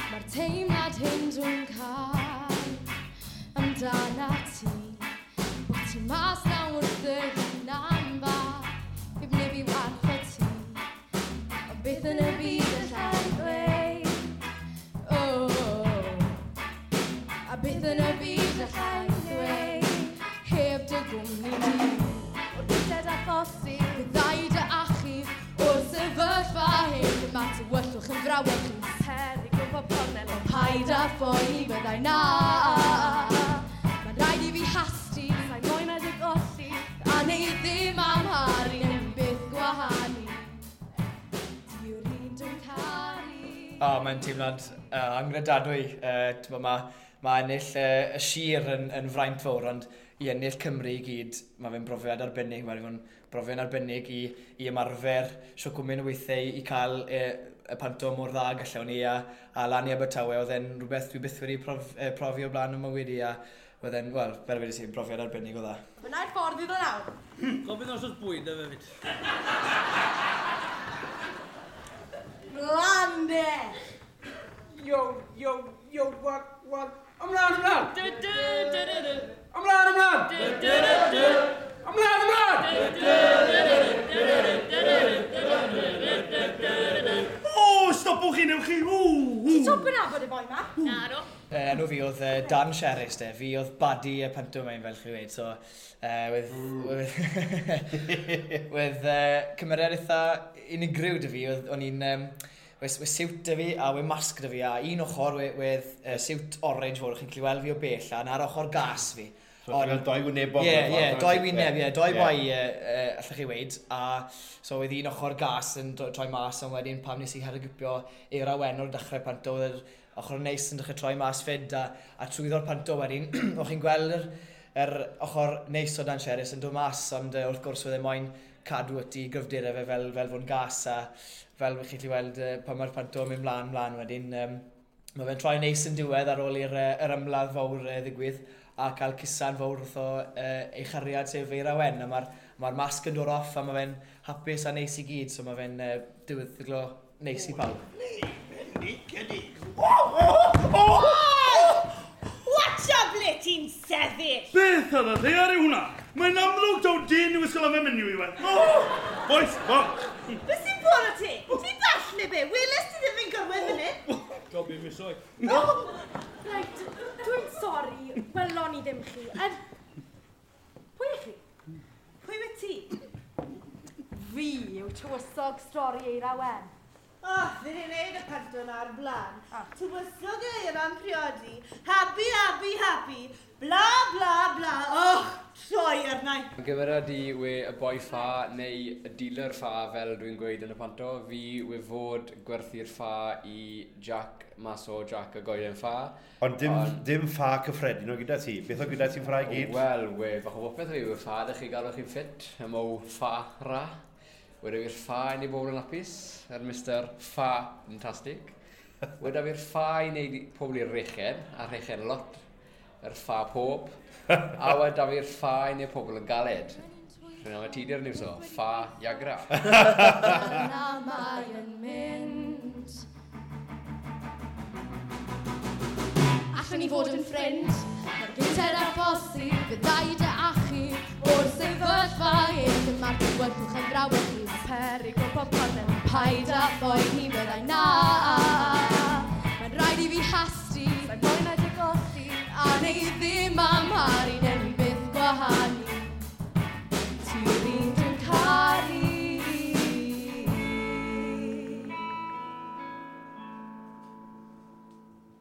Mae'r teimlad hyn dwi'n cael amdana ti, bod ti mas na wrth dy hunan fach, heb neb i warchod ti, ond beth yn y byd allai ddweud? Oh, a beth yn y byd allai ddweud, heb dy gwmni di. O'r gynted a phosib, byddai dy achub o'r sefyllfa hyn, mae tywyllwch yn frawychus. Peryg o bob cornel o paid â phoeni byddai na. Mae'n rhaid i fi hasti, sa'i moyn a dy golli, a neu ddim amharu yn byth gwahanu. Ti yw'r un dwi'n caru. O, mae'n teimlad angredadwy. Mae ennill y sir yn fraint fawr, ond i ennill Cymru i gyd, mae fe'n brofiad arbennig. Mae'n fe'n brofiad arbennig i ymarfer siwt o weithiau i cael y panto mor dda gallwn ni a lan i Abertawe, oedd e'n rhywbeth dwi byth wedi profi o blaen yn mywyd i, a oedd e'n, wel, fel wedi si, brofiad arbennig o dda. Fyna'r ffordd iddo nawr. Gofyn os oes bwyd efo fyd. Mlan de! Yo, yo, yo, what, what? Ymlaen, ymlaen! Du, du, du, du, du. Ymlaen, ymlaen! Du, du, du, du. Ymlaen, ymlaen! Du, du, du, du, du, du, du, du. O, stopwch chi, newch chi! Ti'n top yn nabod y boi ma? Na, no. Enw fi oedd Dan Sherris, de. Fi oedd baddie y pantomime, fel chi wedi. So, with cymeriad eitha unigryw dy fi. O'n i'n... Wedd siwt dy fi a wedd masg dy fi, a un ochr wedd siwt orange fawr, chi'n gallu weld fi o bell, a na'r ochr gas fi. So ti'n cael doi wynebog? Ie, doi wyneb, ie, doi boi, allwch chi weud. A so wedd un ochr gas yn troi mas, ond wedyn pam nes i herwgipio Eira Wen o'r dechrau panto, oedd yr ochr neis yn dechrau troi mas fyd, a trwyddo'r panto wedyn, o'ch chi'n gweld yr ochr neis o Dan Sherris yn dod mas, ond wrth gwrs oedd e moyn cadw at i gryfderau fe fel fod yn gas, a fel chi'n gallu weld pan mae'r panto yn mynd mlaen wedyn. Mae fe'n troi neis yn diwedd ar ôl i'r yr ymladd fawr ddigwydd, a cael cusan fawr wrtho ei chariad sef Eira Wen, a mae'r masg yn dod off a mae fe'n hapus a neis i gyd, so mae fe'n diweddglo neis i pawb. Watch out ble ti'n sefyll! Beth ar y ddaear yw hwnna? Mae'n amlwg taw dyn yw ysgol am y menyw i we. Boys, bo! Beth sy'n bod o ti? Ti'n dall neu be? Weles ti ddim yn gorwedd fan hyn? Gobi misoedd. Reit, dwi'n sori, welon i ddim chi. Pwy ych chi? Pwy wyt ti? Fi yw tywysog stori Eira Wen. O, fi wedi gwneud y panto na ar blaen. Tywysog Eira'n priodi. Happy, happy, happy. Bla, bla, bla. Och, troi arna i. Gymeriad i we y boi ffa neu y dealer ffa fel dwi'n gweud yn y panto. Fi we fod gwerthu'r ffa i Jack mas o Jack y goeden ffa. Ond dim ffa cyffredin o gyda ti. Beth o gyda ti'n ffa i gyd? Wel, we fach o bopeth fi. We ffa ydych chi galw chi'n ffit. Y mow ffa ra. Weda fi'r ffa i wneud bobl yn hapus, yr Mr Ffa-fantastic. Weda fi'r ffa i wneud pobl i'r rechen, a rechen lot, yr ffa pob. A weda fi'r ffa i wneud pobl yn galed. Rwy'n am y tidi'r niw so, ffa iagra. Yna mae'n mynd. Allwn ni fod yn ffrind, mae'r gynted â phosib, byddai dy achub o'r sefyllfa hyn, mae'r tywyllwch yn frawychus. Peryg o bob cornel. Paid â phoeni byddai na. Mae'n rhaid i fi hasti, sa'i moyn a dy golli, a neu ddim amharu.